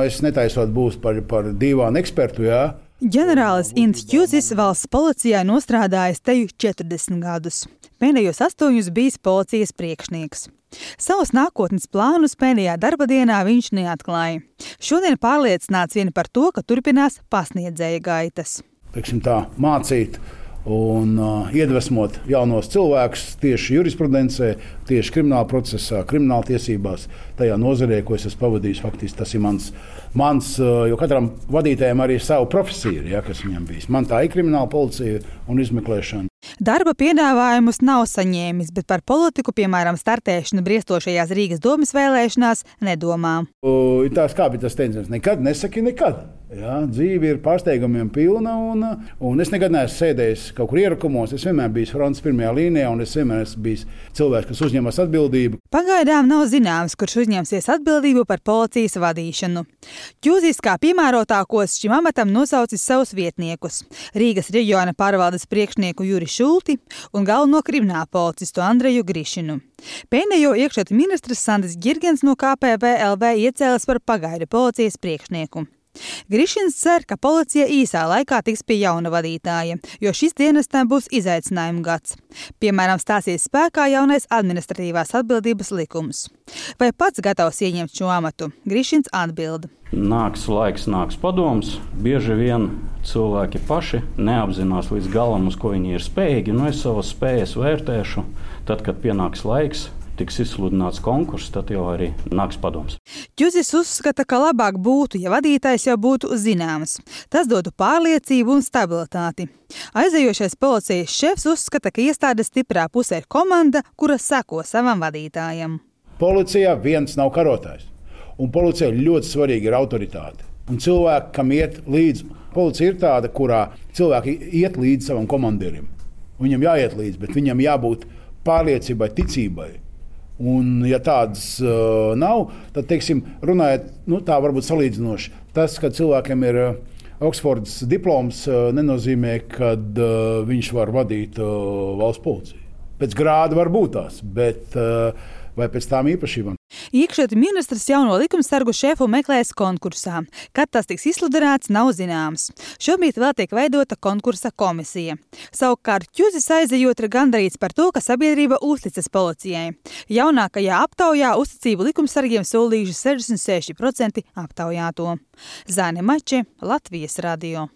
Es netaisot būs par dīvānu ekspertu, jā. Ģenerālis Ints Ķuzis valsts policijā nostrādājis teju 40 gadus. Pēdējos 8 bijis policijas priekšnieks. Savus nākotnes plānus pēdējā darba dienā viņš neatklāja. Šodien pārliecināts vien par to, ka turpinās pasniedzēja gaitas. Teiksim tā, mācīt un iedvesmot jaunos cilvēkus tieši jurisprudencē, tieši krimināla procesā, krimināla tiesībās, tajā nozarē, ko es esmu pavadījis. Faktiski tas ir mans, jo katram vadītājam arī savu profesiju ir, kas viņam bijis. Man tā ir krimināla policija un izmeklēšana. Darba piedāvājumus nav saņēmis, bet par politiku, piemēram, startēšanu briestošajās Rīgas domes vēlēšanās, nedomā. Ir tās kā bija tas teiciens, nekad nesaki nekad. Jā, dzīve ir pārsteigumiem pilna, un es nekad neesmu sēdējis kaut kur ierakumos. Es vienmēr biju frontes pirmajā līnijā, un es vienmēr esmu bijis cilvēks, kas uzņemas atbildību. Pagaidām nav zināms, kurš uzņemsies atbildību par policijas vadīšanu. Ķuzis kā piemērotākos šim amatam nosaucis savus vietniekus – Rīgas reģiona pārvaldes priekšnieku Juri Šulti un galveno kriminālu policistu Andreju Grišinu. Pēdējo iekšlietu ministrs Sandis Ģirgens no KPVLV iecēlis par pagaidu policijas priekšnieku. Grišins cer, ka policija īsā laikā tiks pie jauna vadītāja, jo šis dienestam būs izaicinājuma gads. Piemēram, stāsies spēkā jaunais administratīvās atbildības likums. Vai pats gatavs ieņemt šo amatu? Grišins atbild. Nāks laiks, nāks padoms. Bieži vien cilvēki paši neapzinās līdz galam, uz ko viņi ir spējīgi. Es savas spējas vērtēšu, tad, kad pienāks laiks, tiks izsludināts konkurss, tad jau arī nāks padoms. Ķuzis uzskata, ka labāk būtu, ja vadītājs jau būtu zināms. Tas dotu pārliecību un stabilitāti. Aizejošais policijas šefs uzskata, ka iestādes stiprā pusē ir komanda, kura seko savam vadītājam. Policijā viens nav karotājs, un policijā ļoti svarīga ir autoritāte. Un cilvēki, kam iet līdzi, policija ir tāda, kurā cilvēki iet līdzi savam komandierim. Viņam jāiet līdzi, bet viņam jābūt pārliecībai, ticībai. Un, ja tādas nav, tad, teiksim, runājot, tā varbūt salīdzinoši. Tas, ka cilvēkiem ir Oksfordas diploms, nenozīmē, ka viņš var vadīt valsts policiju. Pēc grāda var būt tās, bet vai pēc tām īpašībām. Iekšlietu ministrs jauno likumsargu šefu meklēs konkursā. Kad tas tiks izsludināts, nav zināms. Šobrīd vēl tiek veidota konkursa komisija. Savukārt Ķuzis aizejot ir gandarīts par to, ka sabiedrība uzticas policijai. Jaunākajā aptaujā uzticību likumsargiem solījuši 66% aptaujāto. Zāne Mače, Latvijas radio.